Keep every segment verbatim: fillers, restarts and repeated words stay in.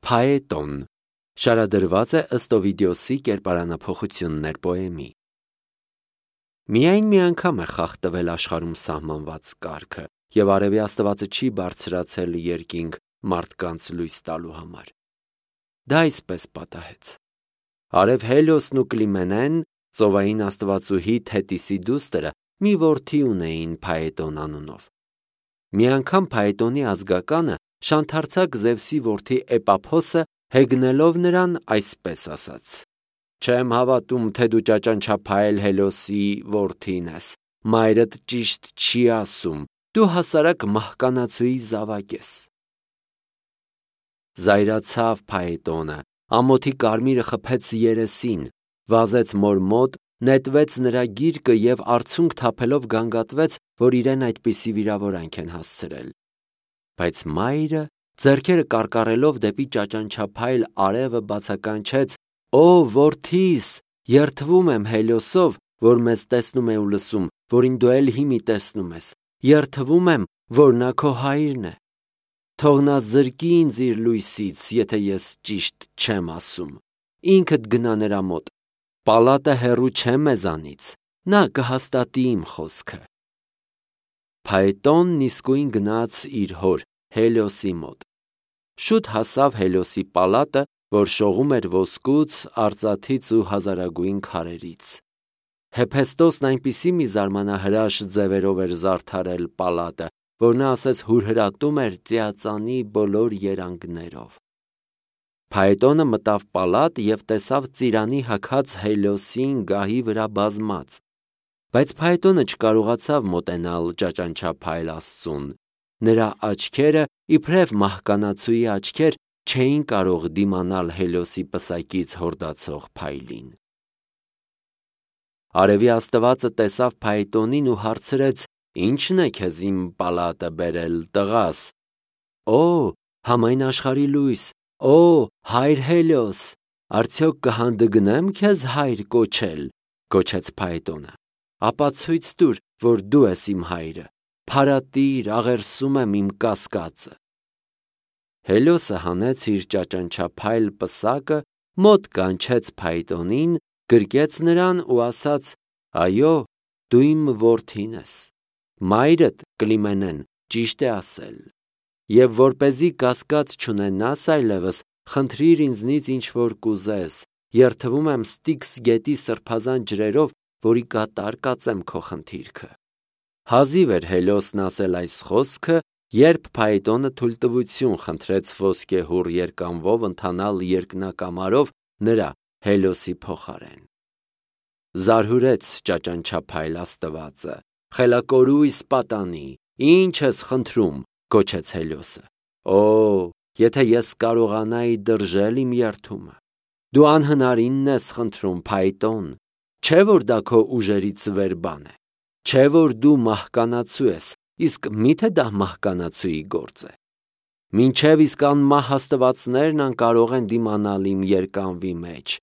Փայետոն շարադրված է ըստ Օվիդիոսի կերպարանափոխություններ պոեմի։ Միայն մի անգամ է խախտվել աշխարհում սահմանված կարգը, եւ արևի աստվածը չի բարձրացել երկինք մարդկանց լույս տալու համար։ Դա այսպես պատահեց. Արև Հելիոսն ու Կլիմենեն, ծովային աստվածուհի Թետիսի դուստրը, մի որդի ունեին Փայետոն անունով։ Մի անգամ Փայետոնի ազգականը շանթարցակ Զևսի որդի Էպափոսը հեգնելով նրան այսպես ասաց. «Չեմ հավատում, թե դու ճաճանչափայել Հելիոսի որդին ես, մայրդ ճիշտ չի ասում, դու հասարակ մահկանացուի զավակ ես»։ Զայրացավ Փայետոնը, ամոթի կարմիրը խփեց երեսին, վազեց մոր մոտ, նետվեց նրա գիրկը և արցունք թափելով գանգատվեց, որ իրեն այդպիսի վիրավորանք են հասցրել։ Բայց մայրը, ձեռքերը կարկառելով դեպի ճաճանչափայլ արևը, բացականչեց. «Օ, որդիս, երդվում եմ Հելիոսով, որ մեզ տեսնում է ու լսում, որին դու էլ հիմի տեսնում ես, երդվում եմ, որ նա քո հայրն է։ Թող նա զրկի ինձ իր լույսից, եթե ես ճիշտ չեմ ասում։ Ինքդ գնա նրա մոտ, պալատը հեռու չէ մեզանից, նա կհաստատի իմ խոսքը»։ Փայետոնն իսկույն գնաց իր հոր Հելիոսի մոտ։ Շուտ հասավ Հելիոսի պալատը, որ շողում էր ոսկուց, արծաթից ու հազարագույն քարերից։ Հեփեստոսն այնպիսի մի զարմանահրաշ ձևերով էր զարդարել պալատը, որ նա ասես հուրհրատում էր ծիածանի բոլոր երանգներով։ Փայետոնը մտավ պալատ և տեսավ ծիրանի հագած Հելիոսին գահի վրա բազմած։ Բայց Փայետոնը չկարողացավ մոտենալ ճաճանչափայլ Աստծուն։ Նրա աչքերը, իբրև մահկանացուի աչքեր, չէին կարող դիմանալ Հելիոսի պսակից հորդացող փայլին։ Արևի աստվածը տեսավ Փայետոնին ու հարցրեց. «Ի՞նչն է քեզ իմ պալատը բերել, տղաս»։ «Օ, համայն աշխարհի լույս, օ, հայր Հելիոս, արդյոք կհանդգնեմ քեզ հայր կոչել», կոչեց Փայետոնը։ «Ապա ցույց տուր, որ դու ես իմ հայրը, փարատիր, աղերսում եմ իմ կասկածը»։ Հելիոսը հանեց իր ճաճանչափայլ պսակը, մոտ կանչեց Փայետոնին, գրկեց նրան ու ասաց. «Այո, դու իմ որդին ես, մայրդ Կլիմենեն ճիշտ է ասել, և որպեսզի կասկած չունենաս այլևս, խնդրիր ինձնից ինչ որ կուզես, երդվում եմ Ստիքս գետի սրբազան ջրերով, որի կատար կածեմ քո խնդիրքը»։ Հազիվ էր Հելիոսն ասել այս խոսքը, երբ Փայետոնը թույլտվություն խնդրեց ոսկեհուռ երկանվով ընթանալ երկնակամարով նրա Հելիոսի փոխարեն։ Զարհուրեց ճաճանչափայլ աստվածը. «Խելակորույս պատանի, ի՞նչ ես խնդրում», կոչեց Հելիոսը։ «Օ, եթե ես կարողանայի դրժել իմ երդումը։ Դու անհնարինն ես խնդրում, Փայետոն, չէ՞ որ դա քո ուժերից վեր բան է։ Չէ՞ որ դու մահկանացու ես, իսկ մի՞թե դա մահկանացուի գործ է։ Մինչև իսկ անմահ աստվածներն անկարող են դիմանալ իմ երկանվի մեջ։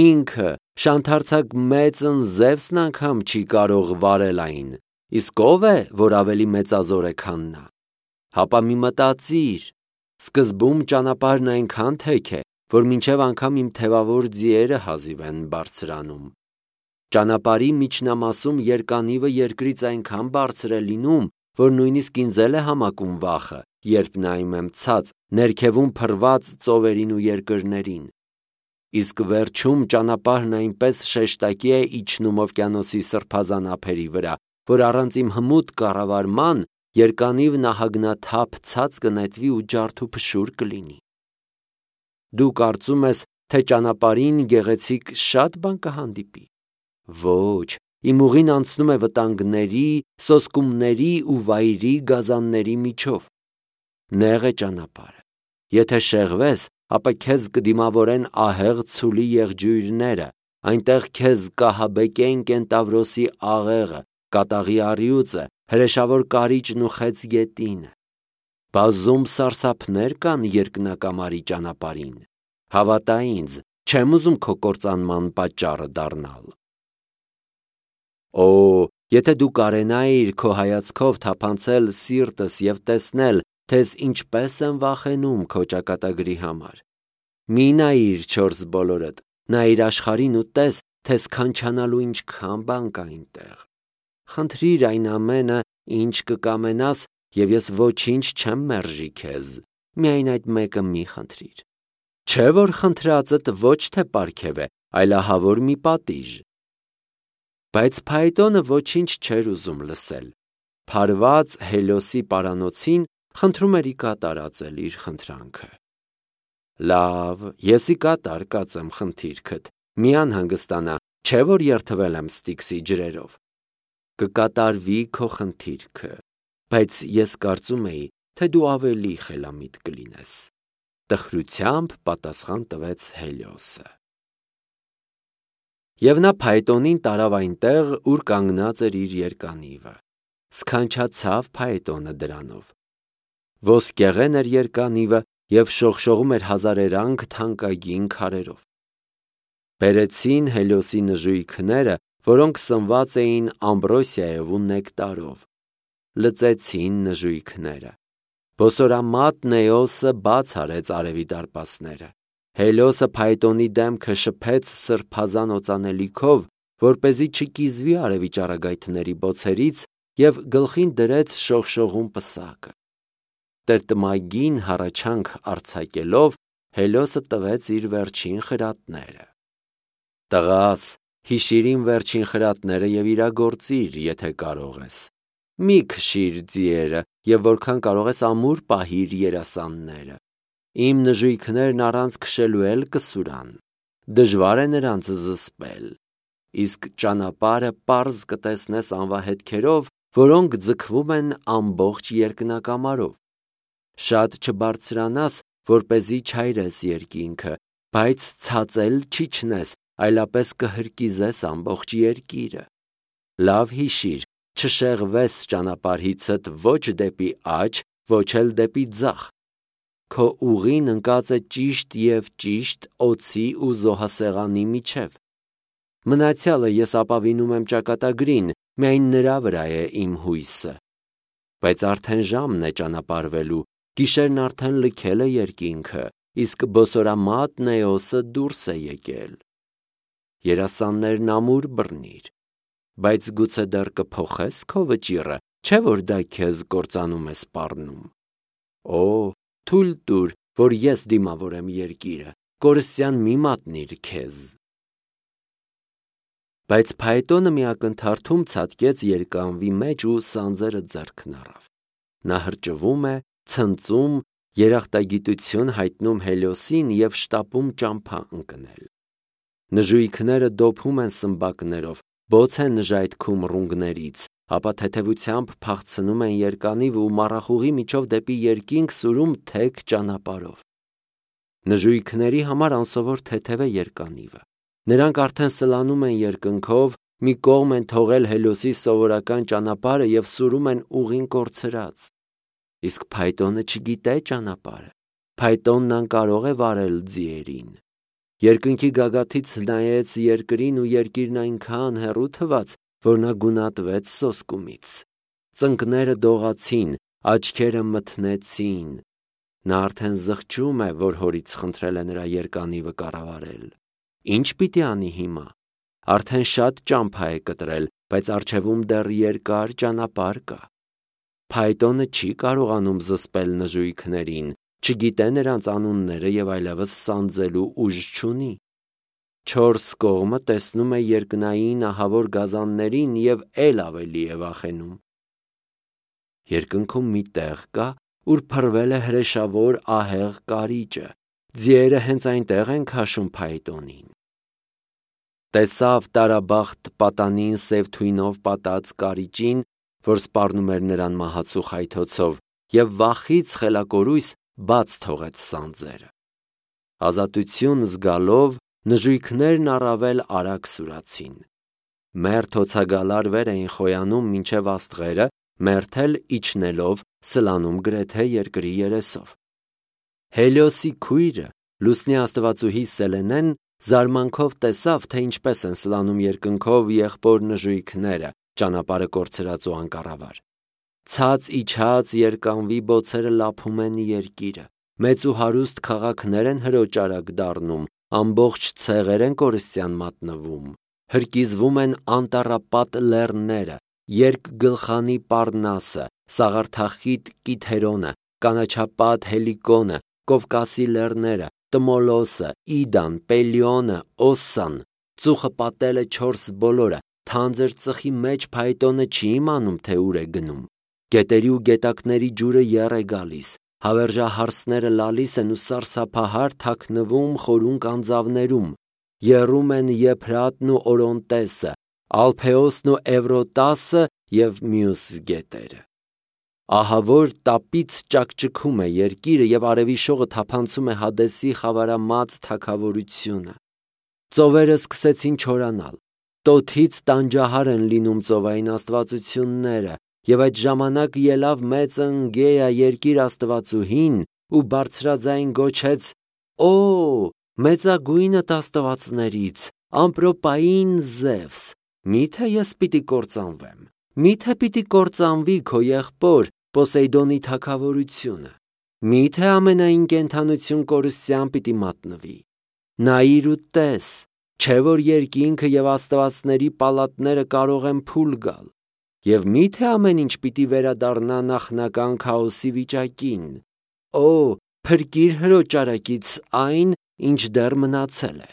Ինքը շանթարցակ մեծն Զևսն անգամ չի կարող վարել այն, իսկ ո՞վ է, որ ավելի մեծազոր է, քան նա։ Հապա մի մտածիր, սկզբում ճանապարհն այնքան թեք է, որ մինչև անգամ իմ թևավոր ձիերը հազիվ են բարձրանում։ Ճանապարհի միջնամասում երկանիվը երկրից այնքան բարձր է լինում, որ նույնիսկ ինձ էլ է համակում վախը, երբ նայում եմ ցած, ներքևում փռված ծովերին ու երկրներին։ Իսկ վերջում ճանապարհն այնպես շեշտակի է իջնում օվկիանոսի սրբազան ափերի վրա, որ առանց իմ հմուտ կառավարման երկանիվն ահագնաթափ ցած կնետվի ու ջարդ ու փշուր կլինի։ Դու կարծում ես, թե ճանապարհին գեղեցիկ շատ բան կհանդիպի։ Ոչ, իմ ուղին անցնում է վտանգների, սոսկումների ու վայրի գազանների միջով։ Նեղ է ճանապարհը։ Եթե շեղվես, ապա քեզ կդիմավորեն ահեղ ցուլի եղջյուրները, այնտեղ քեզ կահաբեկեն կենտավրոսի աղեղը, կատաղի առյուծը, հրեշավոր կարիճն ու խեցգետինը։ Բազում սարսափներ կան երկնակամարի ճանապարհին։ Հավատա ինձ, չեմ ուզում քո կործանման պատճառը դառնալ։ Օ, եթե դու կարենայիր քո հայացքով թափանցել սիրտս և տեսնել, թե ես ինչպես եմ վախենում քո ճակատագրի համար, Մի նայիր չորս բոլորդ, նայիր աշխարհին ու տես, թե սքանչանալու ինչքան բան կա այնտեղ։ Խնդրիր այն ամենը, ինչ կկամենաս, եւ ես ոչինչ չեմ մերժի քեզ, միայն այդ մեկը մի խնդրիր։ Չէ՞ որ խնդրածդ ոչ թե պարգև է, այլ ահավոր մի պատիժ։ Բայց Փայտոնը ոչինչ չէր ուզում լսել։ Փարված Հելիոսի պարանոցին խնդրում էր ի կատարածել իր խնդրանքը։ Լավ, ես ի կատար կացեմ խնդիրքդ, մի անհանգստանա, չէ որ երթվել եմ Ստիքսի ջրերով։ Կկատարվի քո խնդիրքը, բայց ես կարծում էի, թե դու ավելի խելամիտ կլինես, տխրությամբ պատասխան տվեց Հելիոսը։ Եվ նա Փայտոնին տարավ այնտեղ, ուր կանգնած էր իր երկանիվը։ Սքանչացավ Փայտոնը դրանով։ Ոսկեղեն էր երկանիվը և շողշողում էր հազարերանք թանկագին քարերով։ Բերեցին Հելիոսի նժույգները, որոնք սնված էին ամբրոսիայով ու նեկտարով։ Լծեցին նժույգները։ Բոսորամատ Նեոսը բաց արեց արևի դարպասները։ Հելիոսը Փայտոնի դեմքը շփեց սրբազան օծանելիքով, որպեսզի չկիզվի արևի ճառագայթների բոցերից, և գլխին դրեց շողշողուն պսակը։ Տրտմագին հառաչանք արձակելով, Հելիոսը տվեց իր վերջին խրատները։ Տղաս, հիշիր իմ վերջին խրատները և իրագործիր, եթե կարող ես։ Մի քշիր ձիերը և որքան կարող ես ամուր պահիր երասանները։ Իմ նժույգներն առանց քշելու էլ կսուրան։ Դժվար է նրանց զսպել։ Իսկ ճանապարհը պարզ կտեսնես անվահետքերով, որոնք ձգվում են ամբողջ երկնակամարով։ Շատ չբարձրանաս, որպեսզի չայրես երկինքը, բայց ցածել չիջնես, այլապես կհրկիզես ամբողջ երկիրը։ Լավ հիշիր, չշեղվես ճանապարհիցդ ոչ դեպի աջ, ոչ էլ դեպի ձախ։ Քո ուղին ընկած է ճիշտ և ճիշտ օձի ու զոհասեղանի միջև։ Մնացյալը ես ապավինում եմ ճակատագրին, միայն նրա վրա է իմ հույսը։ Բայց արդեն ժամն է ճանապարհվելու, գիշերն արդեն լքել է երկինքը, իսկ բոսորամատ Նեոսը դուրս է եկել։ Երասաններն ամուր բռնիր, բայց գուցե դեռ կփոխես քո վճիռը, չէ՞ որ դա քեզ կործանում է սպառնում։ Օ, թույլ տուր, որ ես դիմավորեմ երկիրը, կորստյան մի մատնիր քեզ։ Բայց Փայտոնը մի ակնթարթում ցատկեց երկանվի մեջ ու սանձերը ձեռքն առավ։ Նա հրճվում է, ցնծում, երախտագիտություն հայտնում Հելիոսին և շտապում ճամփա ընկնել։ Նժույգները դոփում են սմբակներով, բոց են ժայթքում ռունգներից, ապա թեթևությամբ փախցնում են երկանիվ ու մառախուղի միջով դեպի երկինք սուրում թեք ճանապարհով։ Նժույգների համար անսովոր թեթև է երկանիվը։ Նրանք արդեն սլանում են երկնքով, մի կողմ են թողել Հելիոսի սովորական ճանապարհը և սուրում են ուղին կորցրած։ Իսկ Փայտոնը չգիտե ճանապարհը։ Փայտոնն անկարող է վարել ձիերին։ Երկնքի գագաթից նայեց երկրին ու երկիրն այնքան հեռու թվաց, որ նա գունատվեց սոսկումից։ Ծնկները դողացին, աչքերը մթնեցին։ Նա արդեն զղջում է, որ հորից խնդրել է նրա երկանիվը կառավարել։ Ինչ պիտի անի հիմա։ Արդեն շատ ճամփա է կտրել, բայց առջևում դեռ երկար ճանապարհ կա։ Փայտոնը չի կարողանում զսպել նժույգներին, չգիտե նրանց անունները և այլևս սանձելու ուժ չունի։ Չորս կողմը տեսնում է երկնային ահավոր գազաններին և էլ ավելի է վախենում։ Երկնքում մի տեղ կա, ուր փռվել է հրեշավոր ահեղ կարիճը։ Ձիերը հենց այնտեղ են քաշում Փայտոնին։ Տեսավ տարաբախտ պատանին սև թույնով պատած կարիճին, որ սպառնում էր նրան մահացու խայթոցով, և վախից խելակորույս բաց թողեց սանձերը։ Ազատություն զգալով նժույգներն առավել արագ սուրացին։ Մերթ հոցագալար վեր էին խոյանում մինչև աստղերը, մերթ էլ իջնելով սլանում գրեթե երկրի երեսով։ Հելիոսի քույրը, լուսնի աստվածուհի Սելենեն, զարմանքով տեսավ, թե ինչպես են սլանում երկնքով եղբոր նժույգները, ճանապարհը կորցրած ու անկառավար։ Ցած իջած երկանվի բոցերը լափում են երկիրը, մեծ ու հարուստ քաղաքներ են հրոճարակ դառնում, ամբողջ ցեղեր են կորստյան մատնվում, հրկիզվում են անտառապատ լեռները, երկգլխանի Պառնասը, սաղարթախիտ Կիթերոնը, կանաչապատ Հելիկոնը, Կովկասի լեռները, Տմոլոսը, Իդան, Պելիոնը, Օսսան, ծուխը պատել է չորս բոլորը, թանձր ծխի մեջ փայտոնը չի իմանում, թե ուր է գնում, գետերի ու գետակների ջուրը եռ է գալիս, հավերժահարսները լալիս են ու սարսափահար թաքնվում խորուն կանձավներում, եռում են Եփրատն ու Օրոնտեսը, Ալփեոսն ու Էվրոտասը և մյուս գետերը։ Ահավոր տապից ճաքճքում է երկիրը և արևի շողը թափանցում է Հադեսի խավարամած թագավորությունը։ Ծովերը սկսեցին չորանալ, տոթից տանջահար են լինում ծովային աստվածությունները, և այդ ժամանակ ելավ մեծ ընկեյա երկիր աստվածուհին ու բարձրաձայն գոչեց. «Օ, մեծագույնդ աստվածներից, ամպրոպային Զևս, միթե ես պիտի կործանվեմ, միթե պիտի կործանվի քո եղբոր Պոսեյդոնի թագավորությունը, միթե ամենայն կենդանություն կորստյան պիտի մատնվի, նայիր ու տես, չէ որ երկինքը և աստվածների պալատները կարող են փուլ գալ, և միթե ամեն ինչ պիտի վերադառնա նախնական քաոսի վիճակին, օ, փրկիր հրոճարակից այն, ինչ դեռ մնացել է»։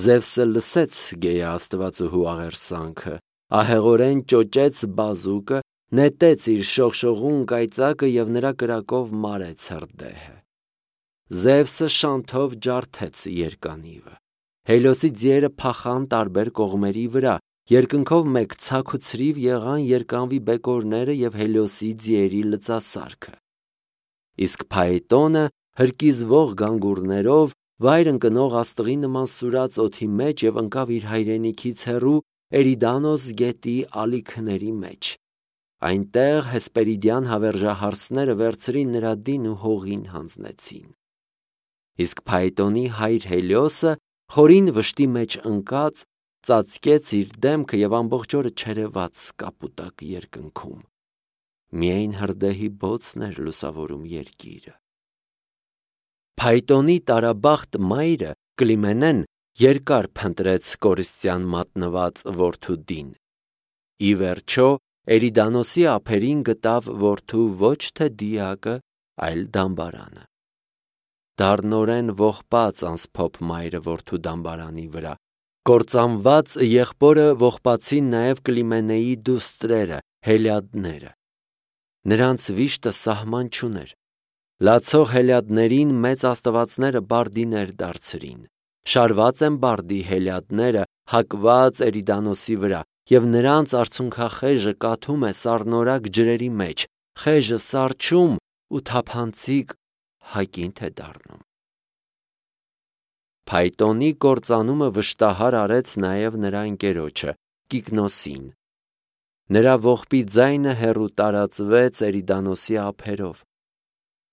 Զևսը լսեց գեյա աստվածուհու աղերսանքը, ահեղորեն ճոճեց բազուկը, նետեց իր շողշողուն կայծակը և նրա կրակով մարեց հրդեհը։ Զևսը շանթով ջարդեց երկանիվը, Հելիոսի ձիերը փախան տարբեր կողմերի վրա, երկնքով մեկ ցաք ու ցրիվ եղան երկանվի բեկորները և Հելիոսի ձիերի լծասարքը։ Իսկ Փայտոնը հրկիզվող գանգուրներով վայր ընկնող աստղի նման սուրաց օդի մեջ և ընկավ իր հայրենիքից հեռու Էրիդանոս գետի ալիքների մեջ։ Այնտեղ հեսպերիդյան հավերժահարսները վերցրին նրա դին ու հողին հանձնեցին։ Իսկ Փայտոնի հայր Հելիոսը խորին վշտի մեջ ընկած ծածկեց իր դեմքը և ամբողջ օրը չերևաց կապուտակ երկնքում։ Միայն հրդեհի բոցն էր լուսավորում երկիրը։ Փայտոնի տարաբախտ մայրը Կլիմենեն երկար փնտրեց կորստյան մատնված որդու դին։ Ի վերջո Էրիդանոսի ափերին գտավ որդու ոչ թե դիակը, այլ դամբարանը։ Դառնորեն ողբաց անսփոփ մայրը որդու դամբարանի վրա։ Կործանված եղբորը ողբացին նաև Կլիմենեի դուստրերը, Հելիադները։ Նրանց վիշտը սահման չուներ։ Լացող Հելիադներին մեծ աստվածները բարդիներ դարձրին։ Շարված են բարդի Հելիադները հակված Էրիդանոսի վրա, և նրանց արցունքախեժը կաթում է սառնորակ ջրերի մեջ, խեժը սառչում ու թափանցիկ հակինթ է դառնում։ Փայտոնի կործանումը վշտահար արեց նաև նրա ընկերոջը Կիկնոսին։ Նրա ողբի ձայնը հեռու տարածվեց Էրիդանոսի ափերով։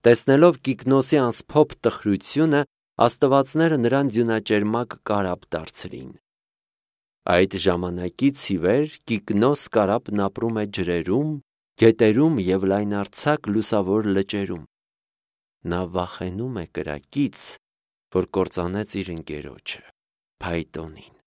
Տեսնելով Կիկնոսի անսփոփ տխրությունը, աստվածները նրան ձյունաճերմակ կարապ դարձրին։ Այդ ժամանակից ի վեր Կիկնոս կարապն ապրում է ջրերում, գետերում և լայնարձակ լուսավոր լճերում։ Նա վախենում է կրակից, որ կործանեց իր ընկերոջը Փայտոնին։